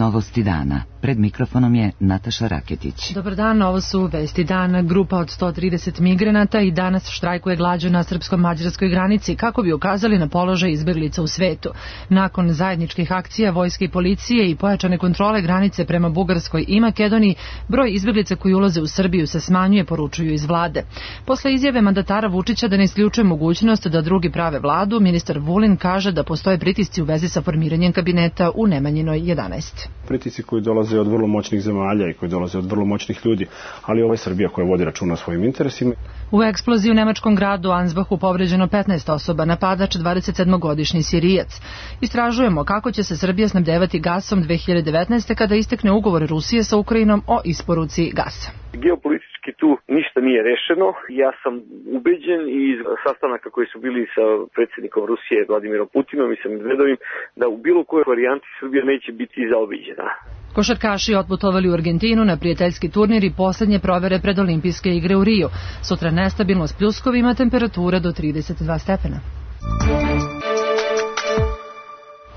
Novosti dana. Pred mikrofonom je Nataša Raketić. Dobar dan, ovo su vesti dana. Grupa od 130 migranata i danas štrajkuje glađu na srpsko-mađarskoj granici kako bi ukazali na položaj izbeglica u svetu. Nakon zajedničkih akcija vojske i policije i pojačane kontrole granice prema Bugarskoj i Makedoniji, broj izbeglica koji ulaze u Srbiju se smanjuje, poručuju iz vlade. Posle izjave mandatara Vučića da ne isključuje mogućnost da drugi prave vladu, ministar Vulin kaže da postoje pritisci u vezi sa formiranjem kabineta u Nemanjinoj 11. Pritisci koji dolaze od vrlo moćnih zemalja i koji dolaze od vrlo moćnih ljudi, ali ovo je Srbija koja vodi računa o svojim interesima. U eksploziji u nemačkom gradu Ansbachu povređeno 15 osoba, napadač 27-godišnji Sirijac. Istražujemo kako će se Srbija snabdevati gasom 2019. kada istekne ugovor Rusije sa Ukrajinom o isporuci gasa. Geopolitički tu ništa nije rešeno. Ja sam ubeđen i iz sastanaka koji su bili sa predsjednikom Rusije Vladimirom Putinom i sa Medvedovim da u bilo kojoj varijanti Srbija neće biti zaobiđena. Košarkaši otputovali u Argentinu na prijateljski turnir i posljednje provere pred olimpijske igre u Riju. Sutra nestabilno s pljuskovima, temperatura do 32 stepena.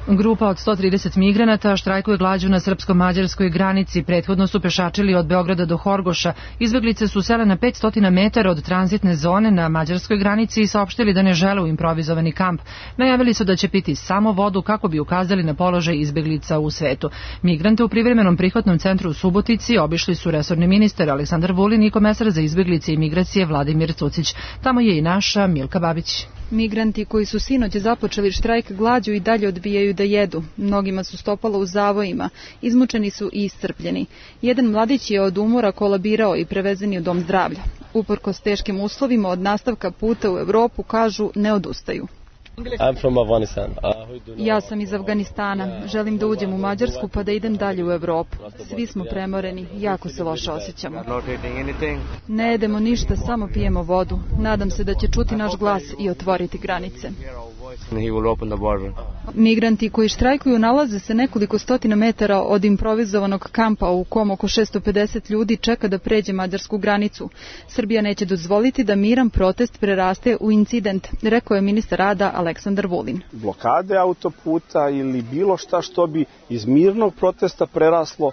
Grupa od 130 migranata štrajkuje glađu na srpsko-mađarskoj granici. Prethodno su pešačili od Beograda do Horgoša. Izbeglice su sele na 500 metara od tranzitne zone na mađarskoj granici i saopštili da ne žele u improvizovani kamp. Najavili su da će piti samo vodu kako bi ukazali na položaj izbeglica u svetu. Migrante u privremenom prihvatnom centru u Subotici obišli su resorni ministar Aleksandar Vulin i komesar za izbeglice i migracije Vladimir Cucić. Tamo je i naša Milka Babić. Migranti koji su sinoć započeli štrajk glađu i dalje odbijaju da jedu. Mnogima su stopala u zavojima, izmučeni su i iscrpljeni. Jedan mladić je od umora kolabirao i prevezen je u dom zdravlja. Uprkos teškim uslovima od nastavka puta u Evropu, kažu, ne odustaju. Ja sam iz Afganistana. Želim da uđem u Mađarsku pa da idem dalje u Evropu. Svi smo premoreni, jako se loše osjećamo. Ne jedemo ništa, samo pijemo vodu. Nadam se da će čuti naš glas i otvoriti granice. Migranti koji štrajkuju nalaze se nekoliko stotina metara od improvizovanog kampa u kom oko 650 ljudi čeka da pređe mađarsku granicu. Srbija neće dozvoliti da miran protest preraste u incident, rekao je ministar rada Aleksandar Vulin. Blokade autoputa ili bilo šta što bi iz mirnog protesta preraslo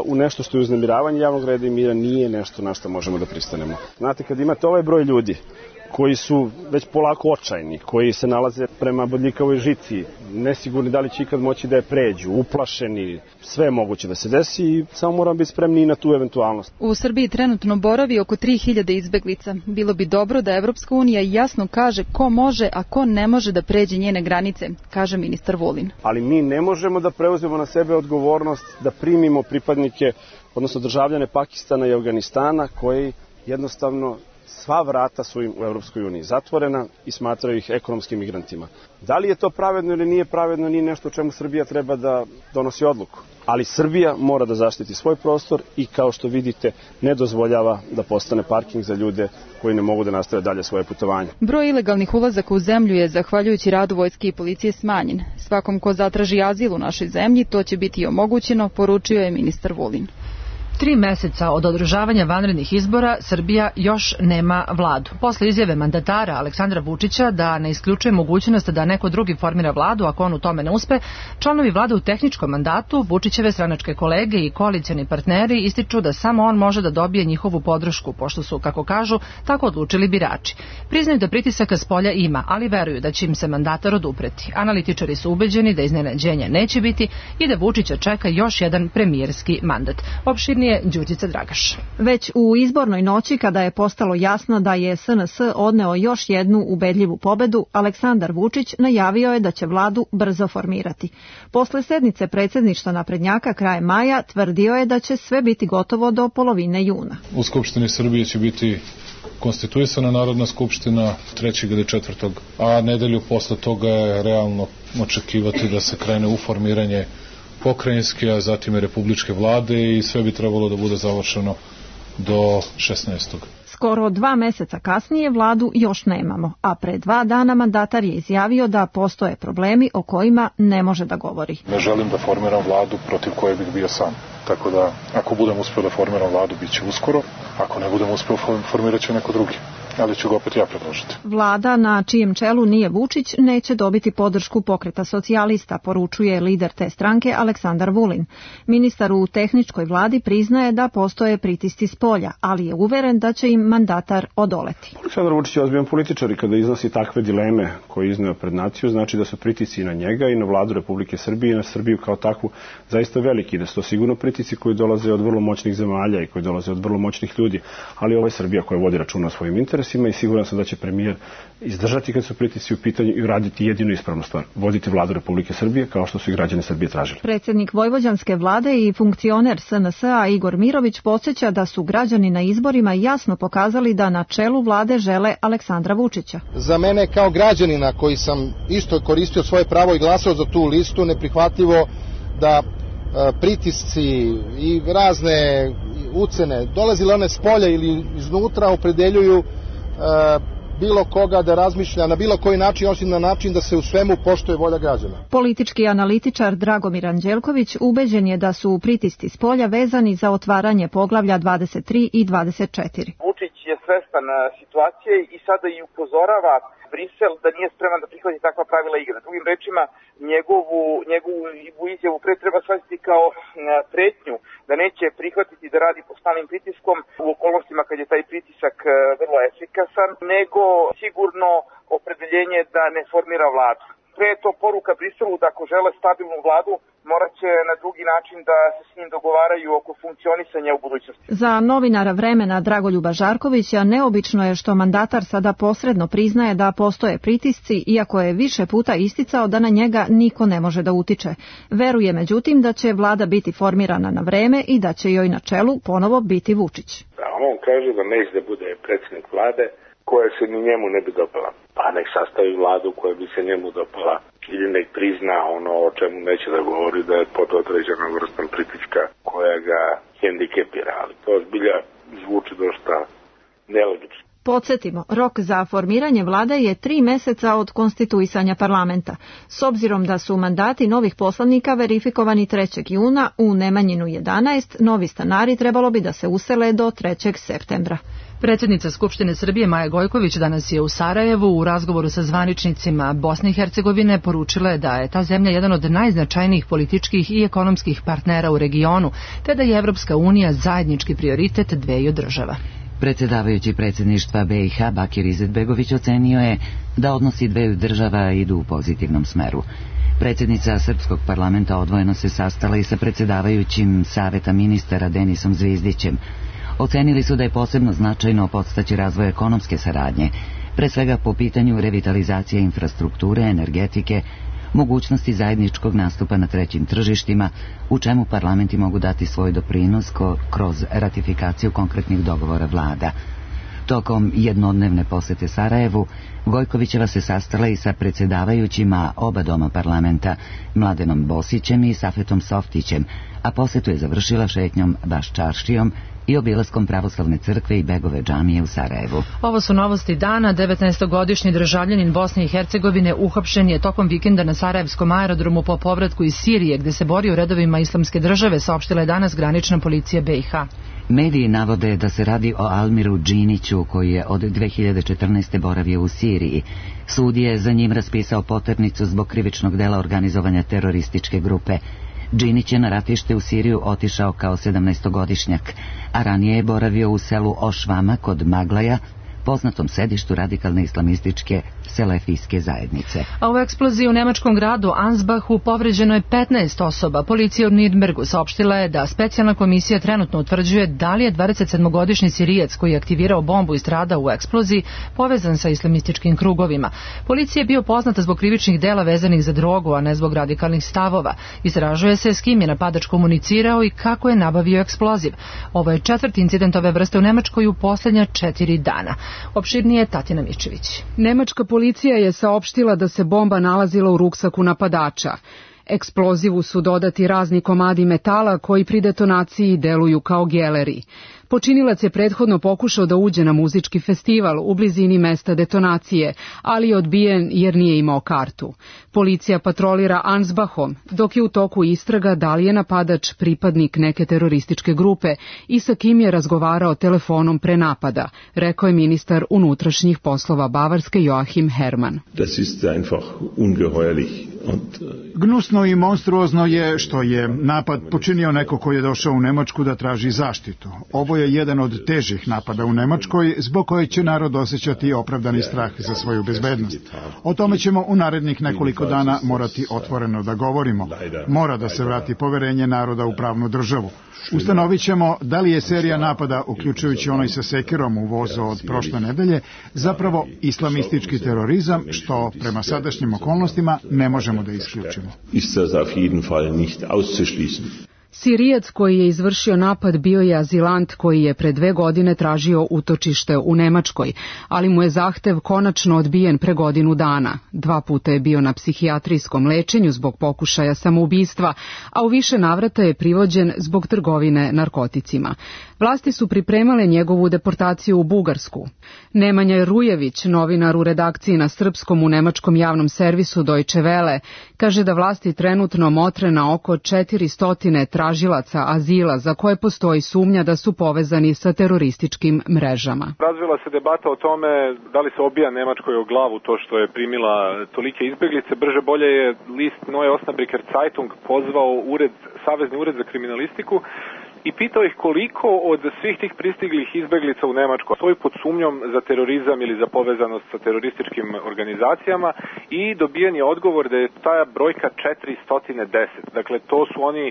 u nešto što je uznemiravanje javnog reda i mira nije nešto na što možemo da pristanemo. Znate, kad imate ovaj broj ljudi koji su već polako očajni, koji se nalaze prema bodljikavoj žici, nesigurni da li će ikad moći da je pređu, uplašeni, sve je moguće da se desi i samo moramo biti spremni i na tu eventualnost. U Srbiji trenutno boravi oko 3000 izbeglica. Bilo bi dobro da Evropska unija jasno kaže ko može, a ko ne može da pređe njene granice, kaže ministar Vulin. Ali mi ne možemo da preuzmemo na sebe odgovornost da primimo pripadnike, odnosno državljane Pakistana i Afganistana koji jednostavno sva vrata su im u Evropskoj uniji zatvorena i smatraju ih ekonomskim migrantima. Da li je to pravedno ili nije pravedno, nije nešto o čemu Srbija treba da donosi odluku. Ali Srbija mora da zaštiti svoj prostor i, kao što vidite, ne dozvoljava da postane parking za ljude koji ne mogu da nastave dalje svoje putovanje. Broj ilegalnih ulazaka u zemlju je, zahvaljujući radu vojske i policije, smanjen. Svakom ko zatraži azil u našoj zemlji, to će biti omogućeno, poručio je ministar Vulin. 3 meseca od održavanja vanrednih izbora Srbija još nema vladu. Posle izjave mandatara Aleksandra Vučića da ne isključuje mogućnost da neko drugi formira vladu ako on u tome ne uspe, članovi vlade u tehničkom mandatu, Vučićeve stranačke kolege i koalicioni partneri ističu da samo on može da dobije njihovu podršku, pošto su, kako kažu, tako odlučili birači. Priznaju da pritisaka s polja ima, ali veruju da će im se mandatar odupreti. Analitičari su ubeđeni da iznenađenja neće biti i da Vučića čeka još jedan premijerski mandat. Opširnije Đurđica Dragaš. Već u izbornoj noći, kada je postalo jasno da je SNS odneo još jednu ubedljivu pobedu, Aleksandar Vučić najavio je da će vladu brzo formirati. Posle sednice predsjedništva naprednjaka krajem maja tvrdio je da će sve biti gotovo do polovine juna. U Skupštini Srbije će biti konstituisana Narodna skupština 3. ili 4. a nedelju posle toga je realno očekivati da se krene u formiranje pokrajinske, a zatim i republičke vlade i sve bi trebalo da bude završeno do 16. Skoro 2 meseca kasnije vladu još nemamo, a pre 2 dana mandatar je izjavio da postoje problemi o kojima ne može da govori. Ne želim da formiram vladu protiv koje bih bio sam. Tako da, ako budem uspeo da formiram vladu, bit će uskoro. Ako ne budem uspeo, formirat će neko drugi. ali ću ga opet ja predložiti. Vlada na čijem čelu nije Vučić neće dobiti podršku Pokreta socijalista, poručuje lider te stranke Aleksandar Vulin. Ministar u tehničkoj vladi priznaje da postoje pritisci s polja, ali je uveren da će im mandatar odoleti. Aleksandar Vučić je ozbiljan političar i kada iznosi takve dileme koje izneo pred naciju, znači da su pritisci na njega i na vladu Republike Srbije i na Srbiju kao takvu zaista veliki, da su to sigurno pritisci koji dolaze od vrlo moćnih zemalja i koji dolaze od vrlo moćnih ljudi, ali ovo je Srbija koja vodi računa o svojim interesima i siguran sam da će premijer izdržati kad su pritisci u pitanju i uraditi jedinu ispravnu stvar, voditi vladu Republike Srbije kao što su i građani Srbije tražili. Predsjednik Vojvođanske vlade i funkcioner SNS-a Igor Mirović podsjeća da su građani na izborima jasno pokazali da na čelu vlade žele Aleksandra Vučića. Za mene kao građanina koji sam isto koristio svoje pravo i glasao za tu listu, neprihvatljivo da pritisci i razne ucene, dolazile one s polja ili iznutra, opredeljuju bilo koga da razmišlja na bilo koji način, osim na način da se u svemu poštuje volja građana. Politički analitičar Dragomir Anđelković ubeđen je da su pritisci s polja vezani za otvaranje poglavlja 23 i 24. Vučić je svestan situacije i sada i upozorava Brisel da nije spreman da prihvati takva pravila igre. Drugim rečima, njegovu izjavu pre treba shvatiti kao pretnju da neće prihvatiti da radi pod stalnim pritiskom u okolnostima kad je taj pritisak vrlo efikasan, nego sigurno opredeljenje da ne formira vladu. Pre je to poruka Briselu da ako žele stabilnu vladu, morat će na drugi način da se s njim dogovaraju oko funkcionisanja u budućnosti. Za novinara Vremena Dragoljuba Žarkovića neobično je što mandatar sada posredno priznaje da postoje pritisci, iako je više puta isticao da na njega niko ne može da utiče. Veruje međutim da će vlada biti formirana na vreme i da će joj na čelu ponovo biti Vučić. On kaže da neće da bude predsjednik vlade koja se ni njemu ne bi dopala. Pa nek sastavi vladu koja bi se njemu dopala ili nek prizna ono o čemu neće da govori, da je pod određena vrstan pritiska koja ga hendikepira, ali to zbilja zvuči dosta nelogično. Podsjetimo, rok za formiranje vlade je 3 meseca od konstituisanja parlamenta. S obzirom da su mandati novih poslanika verifikovani 3. juna, u Nemanjinu 11, novi stanari trebalo bi da se usele do 3. septembra. Predsjednica Skupštine Srbije Maja Gojković danas je u Sarajevu u razgovoru sa zvaničnicima Bosne i Hercegovine poručila je da je ta zemlja jedan od najznačajnijih političkih i ekonomskih partnera u regionu, te da je Evropska unija zajednički prioritet dveju država. Predsjedavajući predsjedništva BiH Bakir Izetbegović ocenio je da odnosi dveju država idu u pozitivnom smeru. Predsjednica Srpskog parlamenta odvojeno se sastala i sa predsjedavajućim Saveta ministara Denisom Zvizdićem. Ocenili su da je posebno značajno podstaći razvoj ekonomske saradnje, pre svega po pitanju revitalizacije infrastrukture, energetike, mogućnosti zajedničkog nastupa na trećim tržištima, u čemu parlamenti mogu dati svoj doprinos kroz ratifikaciju konkretnih dogovora vlada. Tokom jednodnevne posete Sarajevu, Gojkovićeva se sastala i sa predsjedavajućima oba doma parlamenta, Mladenom Bosićem i Safetom Softićem, a posetu je završila šetnjom Baščaršijom i obilaskom pravoslavne crkve i Begove džamije u Sarajevu. Ovo su novosti dana. 19-godišnji državljanin Bosne i Hercegovine uhapšen je tokom vikenda na Sarajevskom aerodromu po povratku iz Sirije, gde se bori u redovima Islamske države, saopštila je danas granična policija BiH. Mediji navode da se radi o Almiru Džiniću, koji je od 2014. boravio u Siriji. Sud je za njim raspisao poternicu zbog krivičnog dela organizovanja terorističke grupe. Džinić je na ratište u Siriju otišao kao 17-godišnjak, a ranije je boravio u selu Ošvama kod Maglaja, poznatom sedištu radikalne islamističke selefijske zajednice. A u eksploziji u nemačkom gradu Ansbachu povređeno je 15 osoba. Policija u Nürnbergu saopštila je da specijalna komisija trenutno utvrđuje da li je 27-godišnji Sirijac koji je aktivirao bombu i stradao u eksploziji povezan sa islamističkim krugovima. Policija je bio poznata zbog krivičnih dela vezanih za drogu, a ne zbog radikalnih stavova. Istražuje se s kim je napadač komunicirao i kako je nabavio eksploziv. Ovo je 4. incident ove vrste u Nemačkoj u posljednja 4 dana. Opširnije Tatina Mičević. Nemačka policija je saopštila da se bomba nalazila u ruksaku napadača. Eksplozivu su dodati razni komadi metala koji pri detonaciji deluju kao geleri. Počinilac je prethodno pokušao da uđe na muzički festival u blizini mesta detonacije, ali je odbijen jer nije imao kartu. Policija patrolira Ansbachom, dok je u toku istraga da li je napadač pripadnik neke terorističke grupe i sa kim je razgovarao telefonom pre napada, rekao je ministar unutrašnjih poslova Bavarske Joachim Herrmann. Gnusno i monstruozno je što je napad počinio neko ko je došao u Nemačku da traži zaštitu. Ovo je jedan od težih napada u Nemačkoj, zbog koje će narod osjećati opravdani strah za svoju bezbednost. O tome ćemo u narednih nekoliko dana morati otvoreno da govorimo. Mora da se vrati poverenje naroda u pravnu državu. Ustanovit ćemo da li je serija napada, uključujući onaj sa sekirom u vozu od prošle nedelje, zapravo islamistički terorizam, što prema sadašnjim okolnostima ne možemo da isključimo. Sirijac koji je izvršio napad bio je azilant koji je pre 2 godine tražio utočište u Nemačkoj, ali mu je zahtev konačno odbijen pre godinu dana. 2 puta je bio na psihijatrijskom lečenju zbog pokušaja samoubistva, a u više navrata je privođen zbog trgovine narkoticima. Vlasti su pripremale njegovu deportaciju u Bugarsku. Nemanja Rujević, novinar u redakciji na srpskom u nemačkom javnom servisu Deutsche Welle, kaže da vlasti trenutno motre na oko 400 tražilaca azila za koje postoji sumnja da su povezani sa terorističkim mrežama. Razvila se debata o tome da li se obija Nemačkoj o glavu to što je primila tolike izbeglice. Brže bolje je list Neue Osnabrücker Zeitung pozvao Savezni ured za kriminalistiku i pitao ih koliko od svih tih pristiglih izbeglica u Nemačku stoji pod sumnjom za terorizam ili za povezanost sa terorističkim organizacijama i dobijen je odgovor da je ta brojka 410. Dakle, to su oni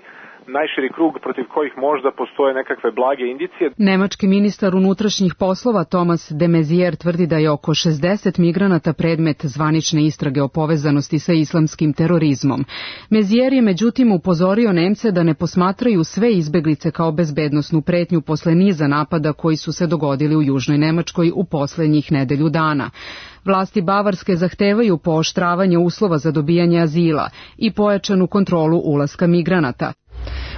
najširi krug protiv kojih možda postoje nekakve blage indicije. Nemački ministar unutrašnjih poslova Thomas de Maizière tvrdi da je oko 60 migranata predmet zvanične istrage o povezanosti sa islamskim terorizmom. Maizière je međutim upozorio Nemce da ne posmatraju sve izbeglice kao bezbednosnu pretnju posle niza napada koji su se dogodili u Južnoj Nemačkoj u poslednjih nedelju dana. Vlasti Bavarske zahtevaju pooštravanje uslova za dobijanje azila i pojačanu kontrolu ulaska migranata.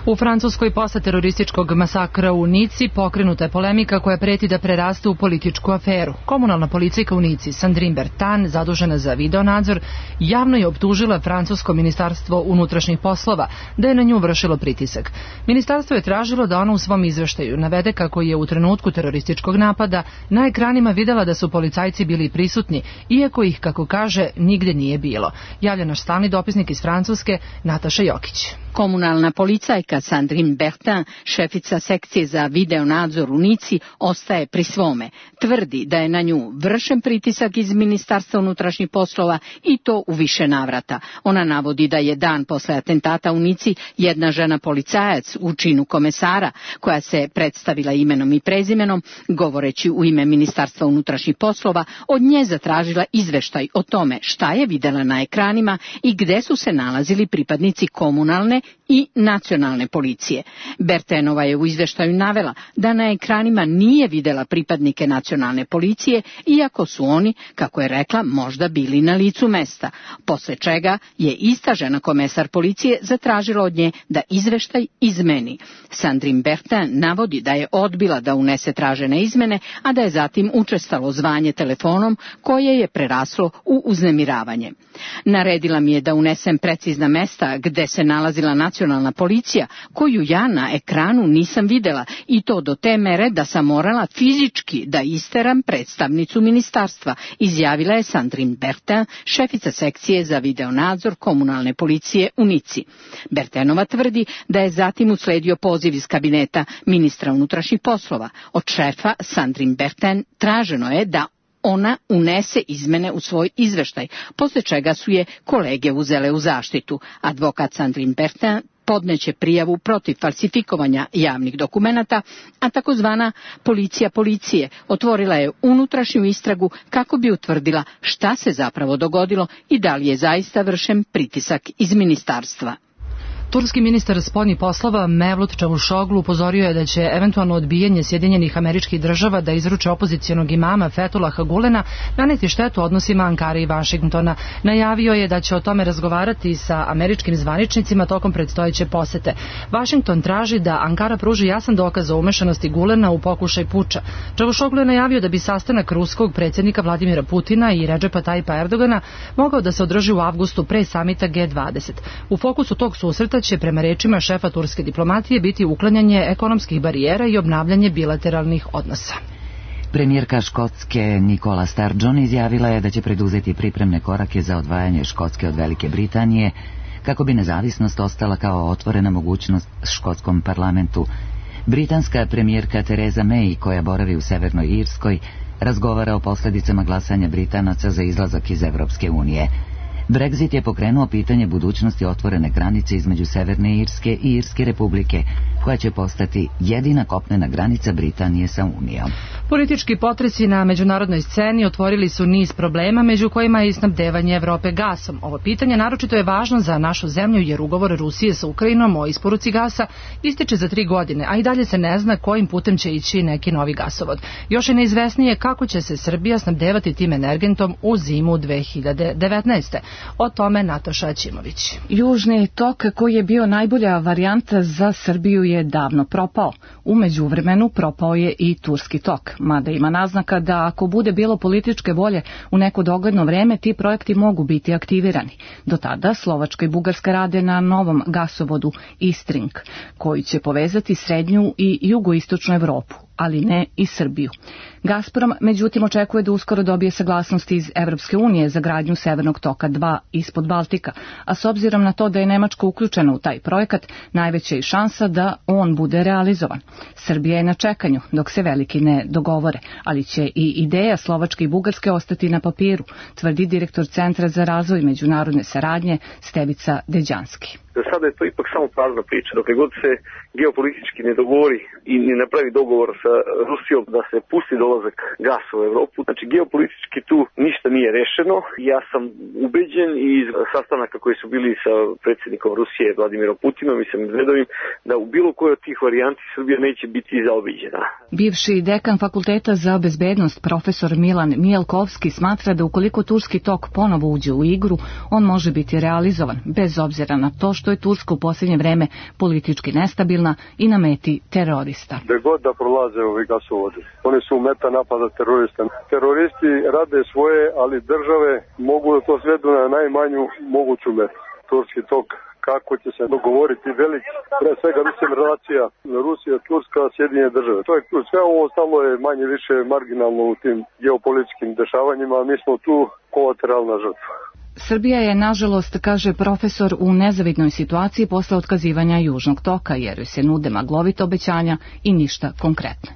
U Francuskoj posle terorističkog masakra u Nici pokrenuta je polemika koja preti da preraste u političku aferu. Komunalna policajka u Nici, Sandrine Bertin, zadužena za videonadzor, javno je optužila francusko ministarstvo unutrašnjih poslova da je na nju vršilo pritisak. Ministarstvo je tražilo da ona u svom izveštaju navede kako je u trenutku terorističkog napada na ekranima videla da su policajci bili prisutni, iako ih, kako kaže, nigde nije bilo. Javlja naš stalni dopisnik iz Francuske, Nataša Jokić. Komunalna policajka Sandrine Bertin, šefica sekcije za videonadzor u Nici, ostaje pri svome. Tvrdi da je na nju vršen pritisak iz Ministarstva unutrašnjih poslova i to u više navrata. Ona navodi da je dan posle atentata u Nici jedna žena policajac u činu komesara, koja se predstavila imenom i prezimenom, govoreći u ime Ministarstva unutrašnjih poslova, od nje zatražila izveštaj o tome šta je videla na ekranima i gde su se nalazili pripadnici komunalne i nacionalne policije. Bertinova je u izveštaju navela da na ekranima nije videla pripadnike nacionalne policije, iako su oni, kako je rekla, možda bili na licu mesta, posle čega je ista žena komesar policije zatražila od nje da izveštaj izmeni. Sandrine Bertin navodi da je odbila da unese tražene izmene, a da je zatim učestalo zvanje telefonom koje je preraslo u uznemiravanje. Naredila mi je da unesem precizna mesta gde se nalazila nacionalna policija, koju ja na ekranu nisam videla, i to do te mere da sam morala fizički da isteram predstavnicu ministarstva, izjavila je Sandrine Bertin, šefica sekcije za videonadzor komunalne policije u Nici. Bertinova tvrdi da je zatim usledio poziv iz kabineta ministra unutrašnjih poslova. Od šefa Sandrine Bertin traženo je da ona unese izmene u svoj izveštaj, posle čega su je kolege uzele u zaštitu. Advokat Sandrine Bertin podneće prijavu protiv falsifikovanja javnih dokumenata, a takozvana policija policije otvorila je unutrašnju istragu kako bi utvrdila šta se zapravo dogodilo i da li je zaista vršen pritisak iz ministarstva. Turski ministar spoljnih poslova Mevlut Čavuşoglu upozorio je da će eventualno odbijanje Sjedinjenih Američkih Država da izruče opozicionog imama Fethullaha Gulena naneti štetu odnosima Ankare i Vašingtona. Najavio je da će o tome razgovarati sa američkim zvaničnicima tokom predstojeće posete. Vašington traži da Ankara pruži jasan dokaz o umešanosti Gulena u pokušaj puča. Čavuşoglu je najavio da bi sastanak ruskog predsjednika Vladimira Putina i Redžepa Tajipa Erdogana mogao da se održi u avgustu pre samita G20. U fokusu tog susreta će prema rečima šefa turske diplomatije biti uklanjanje ekonomskih barijera i obnavljanje bilateralnih odnosa. Premijerka Škotske Nicola Sturgeon izjavila je da će preduzeti pripremne korake za odvajanje Škotske od Velike Britanije kako bi nezavisnost ostala kao otvorena mogućnost škotskom parlamentu. Britanska premijerka Theresa May, koja boravi u Severnoj Irskoj, razgovara o posljedicama glasanja Britanaca za izlazak iz Evropske unije. Brexit je pokrenuo pitanje budućnosti otvorene granice između Severne Irske i Irske republike, koja će postati jedina kopnena granica Britanije sa Unijom. Politički potresi na međunarodnoj sceni otvorili su niz problema, među kojima je i snabdevanje Evrope gasom. Ovo pitanje naročito je važno za našu zemlju jer ugovor Rusije sa Ukrajinom o isporuci gasa ističe za 3 godine, a i dalje se ne zna kojim putem će ići neki novi gasovod. Još je neizvesnije kako će se Srbija snabdevati tim energentom u zimu 2019. O tome Nataša Ćimović. Južni tok, koji je bio najbolja varijanta za Srbiju, je davno propao. U međuvremenu propao je i Turski tok, mada ima naznaka da ako bude bilo političke volje u neko dogledno vreme, ti projekti mogu biti aktivirani. Do tada Slovačka i Bugarska rade na novom gasovodu Istring, koji će povezati srednju i jugoistočnu Evropu, ali ne i Srbiju. Gazprom, međutim, očekuje da uskoro dobije saglasnost iz Evropske unije za gradnju Severnog toka 2 ispod Baltika, a s obzirom na to da je Nemačka uključena u taj projekat, najveća je šansa da on bude realizovan. Srbija je na čekanju dok se veliki ne dogovore, ali će i ideja Slovačke i Bugarske ostati na papiru, tvrdi direktor Centra za razvoj međunarodne saradnje Stevica Deđanski. Za sada je to ipak samo prazna priča. Dokle god se geopolitički ne dogovori i ne napravi dogovor sa Rusijom da se pusti dolazak gasa u Evropu, znači geopolitički tu ništa nije rešeno. Ja sam ubeđen i iz sastanaka koji su bili sa predsjednikom Rusije Vladimirom Putinom i sa Medvedovim da u bilo kojoj od tih varijanti Srbija neće biti zaobiđena. Bivši dekan Fakulteta za bezbednost profesor Milan Mijelkovski smatra da ukoliko Turski tok ponovo uđe u igru, on može biti realizovan, bez obzira na to što je Turska u posljednje vreme politički nestabilna i na meti terorista. Gde god da prolaze ovi gasovodi, oni su meta napada terorista. Teroristi rade svoje, ali države mogu da to svedu na najmanju moguću metu. Turski tok, kako će se dogovoriti veliki, pre svega mislim relacija Rusija, Turska, Sjedinjene države. To je sve ovo ostalo je manje više marginalno u tim geopolitičkim dešavanjima, a mi smo tu kolateralna žrtva. Srbija je, nažalost, kaže profesor, u nezavidnoj situaciji posle otkazivanja Južnog toka, jer joj se nude maglovita obećanja i ništa konkretno.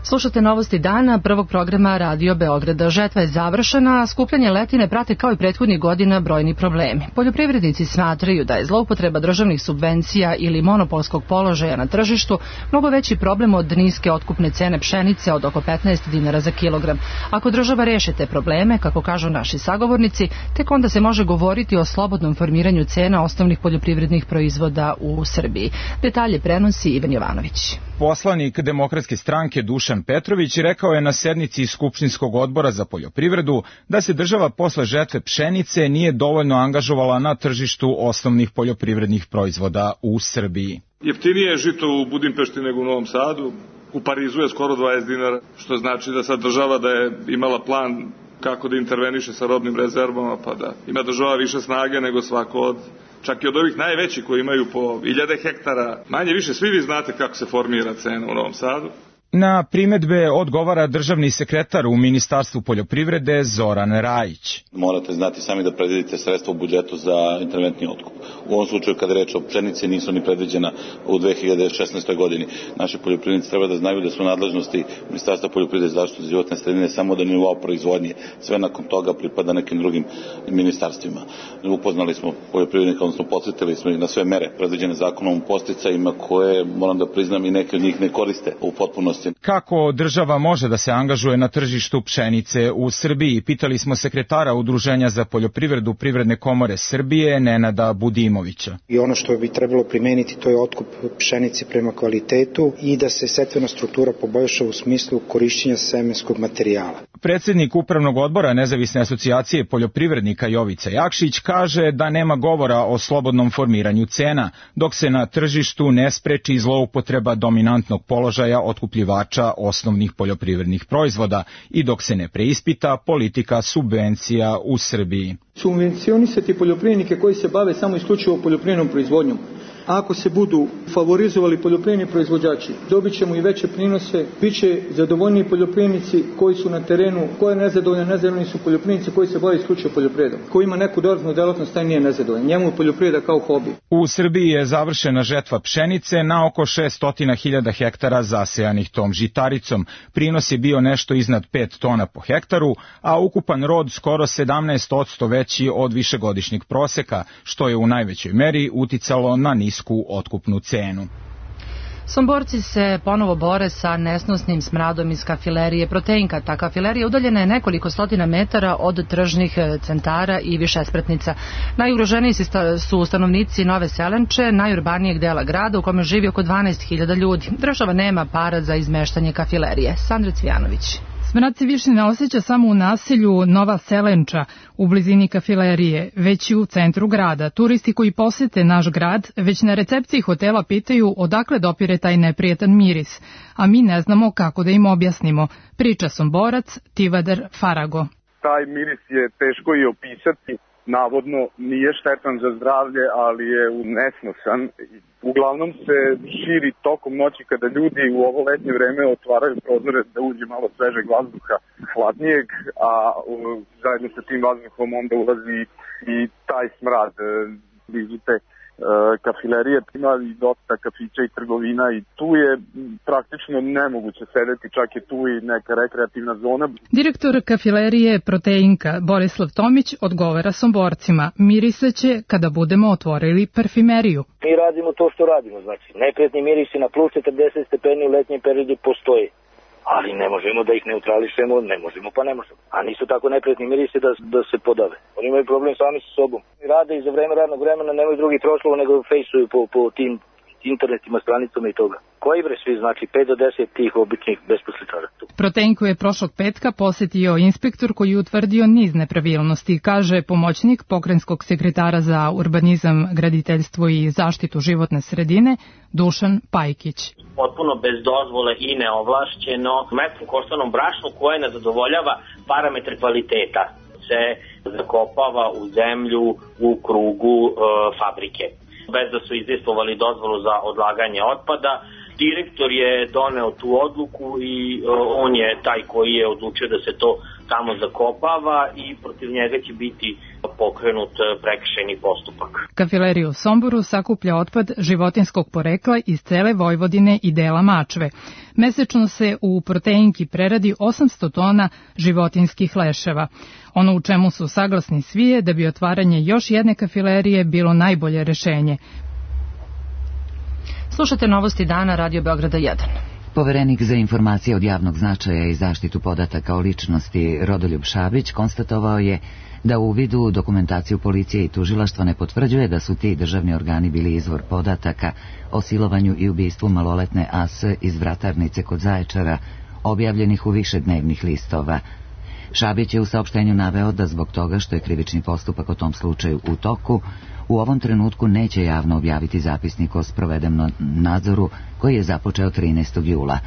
Slušate novosti dana prvog programa Radio Beograda. Žetva je završena, a skupljanje letine prate kao i prethodnih godina brojni problemi. Poljoprivrednici smatraju da je zloupotreba državnih subvencija ili monopolskog položaja na tržištu mnogo veći problem od niske otkupne cene pšenice od oko 15 dinara za kilogram. Ako država reši te probleme, kako kažu naši sagovornici, tek onda se može govoriti o slobodnom formiranju cena osnovnih poljoprivrednih proizvoda u Srbiji. Detalje prenosi Ivan Jovanović. Poslanik Demokratske stranke Dušan Petrović rekao je na sednici Skupštinskog odbora za poljoprivredu da se država posle žetve pšenice nije dovoljno angažovala na tržištu osnovnih poljoprivrednih proizvoda u Srbiji. Jeftinije je žito u Budimpešti nego u Novom Sadu, u Parizu je skoro 20 dinara, što znači da sad država da je imala plan kako da interveniše sa robnim rezervama, pa da ima država više snage nego svako od čak i od ovih najvećih koji imaju po 1000 hektara. Manje više svi vi znate kako se formira cena u Novom Sadu. Na primedbe odgovara državni sekretar u Ministarstvu poljoprivrede Zoran Rajić. Morate znati sami da predvidite sredstva u budžetu za interventni otkup. U ovom slučaju kada je reč o pšenici nisu ni predviđena u 2016. godini. Naši poljoprivrednici treba da znaju da su nadležnosti Ministarstva poljoprivrede i zaštite životne sredine samo do nivoa proizvodnje. Sve nakon toga pripada nekim drugim ministarstvima. Upoznali smo poljoprivrednika, odnosno podsjetili smo ih na sve mere predviđene zakonom o podsticajima koje, moram da priznam, i neke od njih ne koriste u potpunosti mogućnosti. Kako država može da se angažuje na tržištu pšenice u Srbiji? Pitali smo sekretara Udruženja za poljoprivredu Privredne komore Srbije, Nenada Budimovića. I ono što bi trebalo primeniti, to je otkup pšenice prema kvalitetu i da se setvena struktura poboljša u smislu korišćenja semenskog materijala. Predsednik Upravnog odbora Nezavisne asocijacije poljoprivrednika Jovica Jakšić kaže da nema govora o slobodnom formiranju cena, dok se na tržištu ne spreči zloupotreba dominantnog položaja otkupljivača osnovnih poljoprivrednih proizvoda i dok se ne preispita politika subvencija u Srbiji. Subvencionisati poljoprivrednike koji se bave samo isključivo poljoprivrednom proizvodnjom. Ako se budu favorizovali poljoprivredni proizvođači, dobit ćemo i veće prinose, bit će zadovoljniji poljoprivrednici koji su na terenu, ko je nezadovoljni su poljoprivrednici koji se bave isključivo poljoprivredom. Ko ima neku dodatnu delatnost, taj nije nezadovoljan. Njemu je poljoprivreda kao hobi. U Srbiji je završena žetva pšenice na oko 600.000 hektara zasejanih tom žitaricom. Prinos je bio nešto iznad 5 tona po hektaru, a ukupan rod skoro 17% veći od višegodišnjeg proseka, što je u najvećoj meri uticalo na nisku otkupnu cenu. Somborci se ponovo bore sa nesnosnim smradom iz kafilerije Proteinka. Ta kafilerija udaljena je nekoliko stotina metara od tržnih centara i višespratnica. Najugroženiji su stanovnici Nove Selenče, najurbanijeg dela grada u kome živi oko 12.000 ljudi. Država nema para za izmeštanje kafilerije. Sandra Cvijanović. Smrad se više ne osjeća samo u naselju Nova Selenča, u blizini kafilerije, već i u centru grada. Turisti koji posete naš grad već na recepciji hotela pitaju odakle dopire taj neprijatan miris, a mi ne znamo kako da im objasnimo, priča Somborac Tivadar Farago. Taj miris je teško i opisati, navodno nije štetan za zdravlje, ali je nesnosan. Uglavnom se širi tokom noći kada ljudi u ovo letnje vreme otvaraju prozore da uđe malo svežeg vazduha, hladnijeg, a zajedno sa tim vazduhom onda ulazi i taj smrad. Blizu te kafilerije ima i dosta kafića i trgovina i tu je praktično nemoguće sedeti, čak je tu i neka rekreativna zona. Direktor kafilerije Proteinka Borislav Tomić odgovara Somborcima, mirisaće kada budemo otvorili parfimeriju. Mi radimo to što radimo, znači neprijatni mirisi na plus 40 stepeni u letnjem periodu postoje, ali ne možemo da ih neutrališemo, ne možemo pa ne možemo. A nisu tako neprijatni mirisi da se podave. Oni imaju problem sami sa sobom. Rade i za vreme radnog vremena nemaju drugi proslov nego fejsuju po tim internetima, stranicama i toga. Koji bre svi, znači 5 do 10 tih običnih besposličara tu. Proteinku je prošlog petka posetio inspektor koji je utvrdio niz nepravilnosti, kaže pomoćnik pokrajinskog sekretara za urbanizam, graditeljstvo i zaštitu životne sredine Dušan Pajkić. Potpuno bez dozvole i neovlašćeno metru koštanom brašnu koje ne zadovoljava parametre kvaliteta se zakopava u zemlju u krugu fabrike. Bez da su izdejstvovali dozvolu za odlaganje otpada. Direktor je doneo tu odluku i on je taj koji je odlučio da se to tamo zakopava i protiv njega će biti pokrenut prekršajni postupak. Kafilerija u Somboru sakuplja otpad životinskog porekla iz cele Vojvodine i dela Mačve. Mesečno se u Proteinki preradi 800 tona životinskih leševa. Ono u čemu su saglasni svi je da bi otvaranje još jedne kafilerije bilo najbolje rešenje. Slušate novosti dana Radio Beograda 1. Poverenik za informacije od javnog značaja i zaštitu podataka o ličnosti Rodoljub Šabić konstatovao je da u uvidu dokumentaciju policije i tužilaštva ne potvrđuje da su ti državni organi bili izvor podataka o silovanju i ubistvu maloletne AS iz Vratarnice kod Zaječara, objavljenih u više dnevnih listova. Šabić je u saopštenju naveo da zbog toga što je krivični postupak o tom slučaju u toku, u ovom trenutku neće javno objaviti zapisnik o sprovedenom nadzoru koji je započeo 13. jula.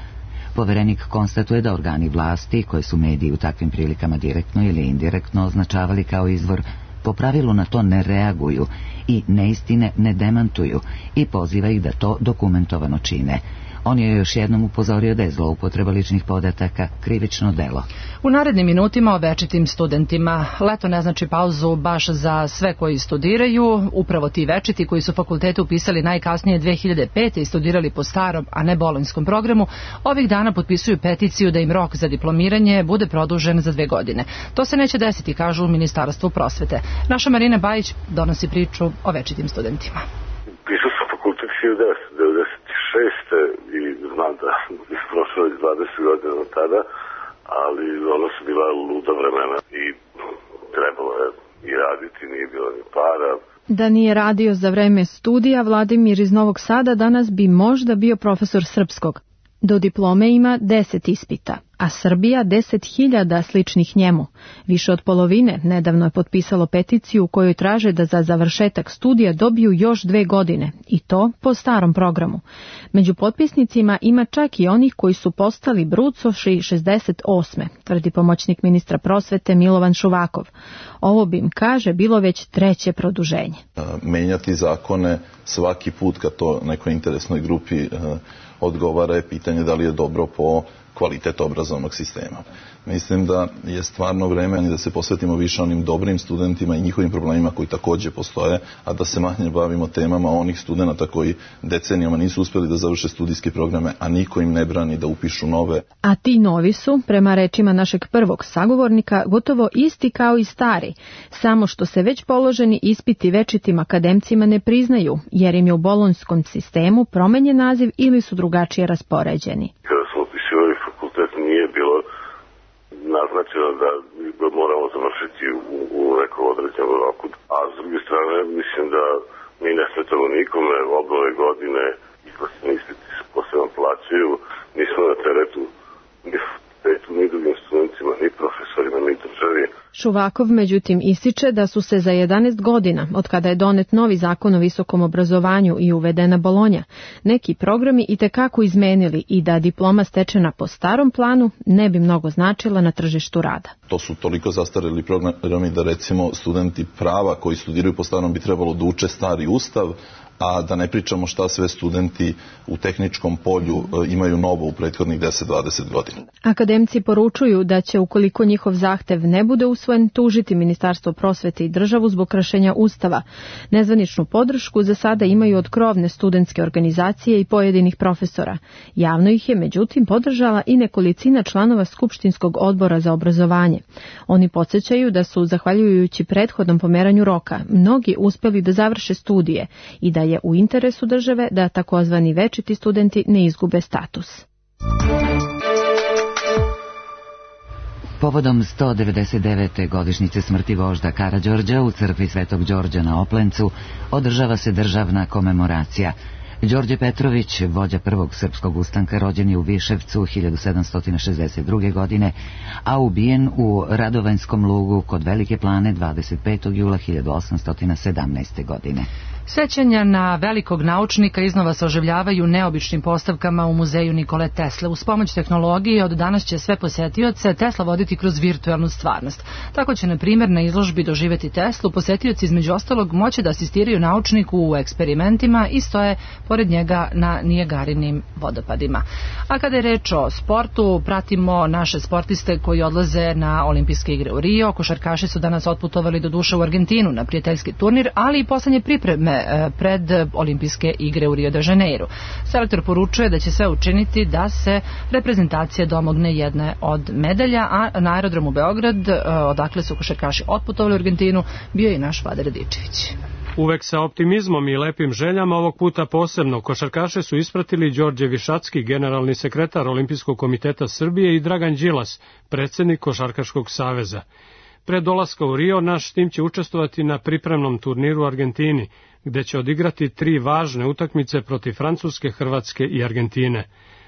Poverenik konstatuje da organi vlasti, koje su mediji u takvim prilikama direktno ili indirektno označavali kao izvor, po pravilu na to ne reaguju i neistine ne demantuju i poziva ih da to dokumentovano čine. On je još jednom upozorio da je zloupotreba ličnih podataka krivično delo. U narednim minutima o večitim studentima. Leto ne znači pauzu baš za sve koji studiraju. Upravo ti večiti koji su fakultete upisali najkasnije 2005. i studirali po starom, a ne bolonjskom programu, ovih dana potpisuju peticiju da im rok za diplomiranje bude produžen za 2 godine. To se neće desiti, kažu u Ministarstvu prosvete. Naša Marina Bajić donosi priču o večitim studentima. Pisao sam fakultet 1996. i znam da je prošlo iz 20 godina od tada, ali ono su bila luda vremena i trebalo je i raditi, nije bilo ni para. Da nije radio za vreme studija, Vladimir iz Novog Sada danas bi možda bio profesor srpskog. Do diplome ima 10 ispita, a Srbija 10.000 sličnih njemu. Više od polovine nedavno je potpisalo peticiju u kojoj traže da za završetak studija dobiju još 2 godine, i to po starom programu. Među potpisnicima ima čak i onih koji su postali brucoši 68. tvrdi pomoćnik ministra prosvete Milovan Šuvakov. Ovo bi im, kaže, bilo već 3. produženje. Menjati zakone svaki put kad to nekoj interesnoj grupi odgovara je pitanje da li je dobro po kvalitet obrazovnog sistema. Mislim da je stvarno vreme da se posvetimo više onim dobrim studentima i njihovim problemima koji također postoje, a da se manje bavimo temama onih studenta koji decenijama nisu uspjeli da završe studijske programe, a niko im ne brani da upišu nove. A ti novi su, prema rečima našeg prvog sagovornika, gotovo isti kao i stari, samo što se već položeni ispiti večitim akademcima ne priznaju, jer im je u bolonjskom sistemu promenjen naziv ili su drugačije raspoređeni. Kada smo upisivali fakultet nije bilo naznačeno da moramo završiti u nekom određenom roku. A s druge strane, mislim da mi ne smetamo nikome, oba ove godine izlasni ispiti se posebno plaćaju, nismo na teretu ni fakultetu, ni drugim studentima, ni profesorima, ni državi. Šuvakov međutim ističe da su se za 11 godina, od kada je donet novi zakon o visokom obrazovanju i uvedena Bolonja, neki programi itekako izmenili i da diploma stečena po starom planu ne bi mnogo značila na tržištu rada. To su toliko zastareli programi da recimo studenti prava koji studiraju po starom bi trebalo da uče stari ustav, a da ne pričamo šta sve studenti u tehničkom polju imaju novo u prethodnih 10-20 godina. Akademci poručuju da će, ukoliko njihov zahtev ne bude usvojen, tužiti Ministarstvo prosvete i državu zbog kršenja Ustava. Nezvaničnu podršku za sada imaju od krovne studentske organizacije i pojedinih profesora. Javno ih je, međutim, podržala i nekolicina članova Skupštinskog odbora za obrazovanje. Oni podsjećaju da su, zahvaljujući prethodnom pomeranju roka, mnogi uspeli da završe studije i da je u interesu države da takozvani večiti studenti ne izgube status. Povodom 199. godišnjice smrti vožda Karađorđa u crkvi Svetog Đorđa na Oplencu održava se državna komemoracija. Đorđe Petrović, vođa prvog srpskog ustanka, rođen je u Viševcu 1762. godine, a ubijen u Radovanjskom lugu kod Velike Plane 25. jula 1817. godine. Sećanja na velikog naučnika iznova se oživljavaju neobičnim postavkama u muzeju Nikole Tesle. Uz pomoć tehnologije od danas će sve posetioce Tesla voditi kroz virtualnu stvarnost. Tako će, na primjer, na izložbi Doživeti Teslu posetioci između ostalog moći da asistiraju naučniku u eksperimentima i stoje pored njega na Nijagarinim vodopadima. A kada je reč o sportu, pratimo naše sportiste koji odlaze na olimpijske igre u Rio. Košarkaši su danas otputovali do duše u Argentinu na prijateljski turnir, ali i poslednje pripreme pred olimpijske igre u Rio de Janeiro. Selektor poručuje da će sve učiniti da se reprezentacija domogne jedne od medalja, a na aerodromu Beograd, odakle su košarkaši otputovali u Argentinu, bio je i naš Vlada Radičević. Uvek sa optimizmom i lepim željama, ovog puta posebno, košarkaše su ispratili Đorđe Višacki, generalni sekretar Olimpijskog komiteta Srbije, i Dragan Đilas, predsjednik Košarkaškog saveza. Pre dolaska u Rio, naš tim će učestvovati na pripremnom turniru u Argentini, gde će odigrati 3 važne utakmice protiv Francuske, Hrvatske i Argentine.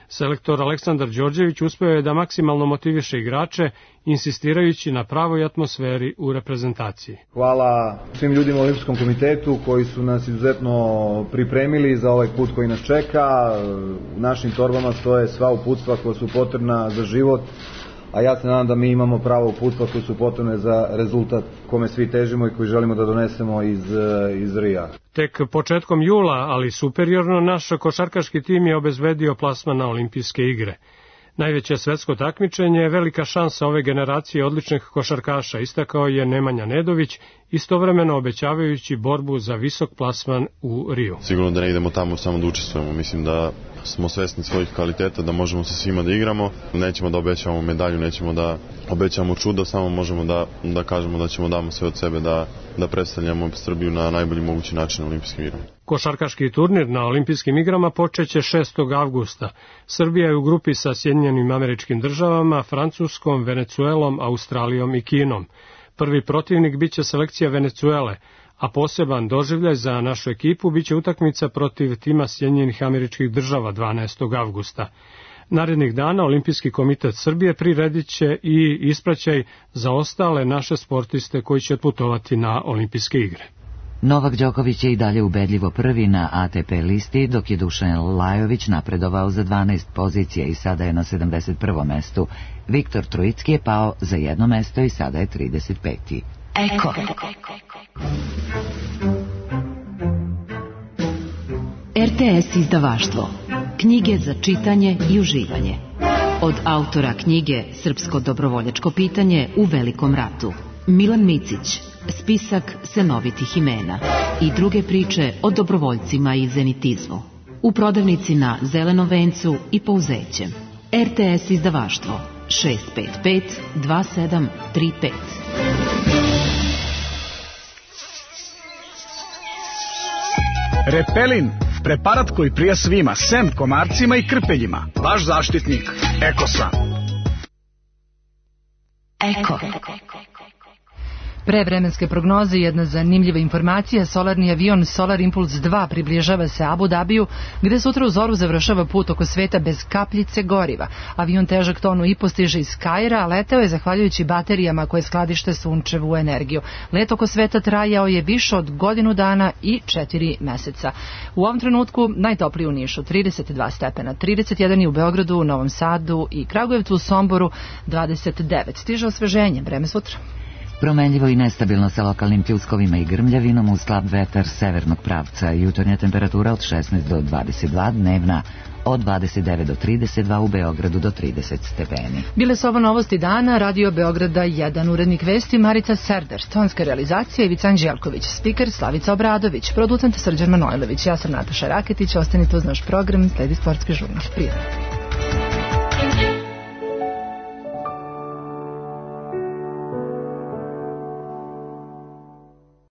Selektor Aleksandar Đorđević uspeo je da maksimalno motiviše igrače, insistirajući na pravoj atmosferi u reprezentaciji. Hvala svim ljudima u Olimpijskom komitetu koji su nas izuzetno pripremili za ovaj put koji nas čeka. U našim torbama stoje sva uputstva koja su potrebna za život, a ja se nadam da mi imamo pravo uputstva koje su potrebne za rezultat kome svi težimo i koji želimo da donesemo iz Rija. Tek početkom jula, ali superiorno, naš košarkaški tim je obezbedio plasman na olimpijske igre. Najveće svetsko takmičenje je velika šansa ove generacije odličnih košarkaša, istakao je Nemanja Nedović, istovremeno obećavajući borbu za visok plasman u Riju. Sigurno da ne idemo tamo samo da učestvujemo, mislim da smo svesni svojih kvaliteta, da možemo sa svima da igramo, nećemo da obećavamo medalju, nećemo da obećavamo čudo, samo možemo da kažemo da ćemo damo sve od sebe da predstavljamo Srbiju na najbolji mogući način na olimpijskim igrama. Košarkaški turnir na olimpijskim igrama počeće 6. avgusta. Srbija je u grupi sa Sjedinjenim Američkim Državama, Francuskom, Venecuelom, Australijom i Kinom. Prvi protivnik biće selekcija Venecuele, a poseban doživljaj za našu ekipu biće utakmica protiv tima Sjedinjenih Američkih Država 12. avgusta. Narednih dana Olimpijski komitet Srbije priredit će i ispraćaj za ostale naše sportiste koji će putovati na olimpijske igre. Novak Đoković je i dalje ubedljivo prvi na ATP listi, dok je Dušan Lajović napredovao za 12 pozicija i sada je na 71. mestu. Viktor Trojicki je pao za 1 mesto i sada je 35. Eko. RTS izdavaštvo. Knjige za čitanje i uživanje. Od autora knjige Srpsko dobrovoljačko pitanje u Velikom ratu. Milan Micić, spisak senovitih imena i druge priče o dobrovoljcima i zenitizmu. U prodavnici na Zelenom vencu i Pouzećem. RTS izdavaštvo 655 2735. Repelin, preparat koji prija svima, sem komarcima i krpeljima. Vaš zaštitnik, Ekosan. Eko. Pre vremenske prognoze jedna zanimljiva informacija, solarni avion Solar Impulse 2 približava se Abu Dabiju, gde sutra u zoru završava put oko sveta bez kapljice goriva. Avion težak tonu i postiže iz Kaira, a leteo je zahvaljujući baterijama koje skladište sunčevu energiju. Let oko sveta trajao je više od godinu dana i 4 meseca. U ovom trenutku najtopliji u Nišu 32 stepena, 31 i u Beogradu, Novom Sadu i Kragujevcu, u Somboru 29. Stiže osveženje, vreme sutra. Promenljivo i nestabilno sa lokalnim pljuskovima i grmljavinom, uz slab vetar severnog pravca. Jutarnja temperatura od 16 do 22, dnevna od 29 do 32, u Beogradu do 30 stepeni. Bile su ovo novosti dana, Radio Beograda 1, urednik vesti Marica Serdar, tonska realizacija Ivica Anđelković, spiker Slavica Obradović, producent Srđan Manojlović, ja sam Nataša Raketić, ostanite uz naš program, sledi sportski žurnal. Prijatno.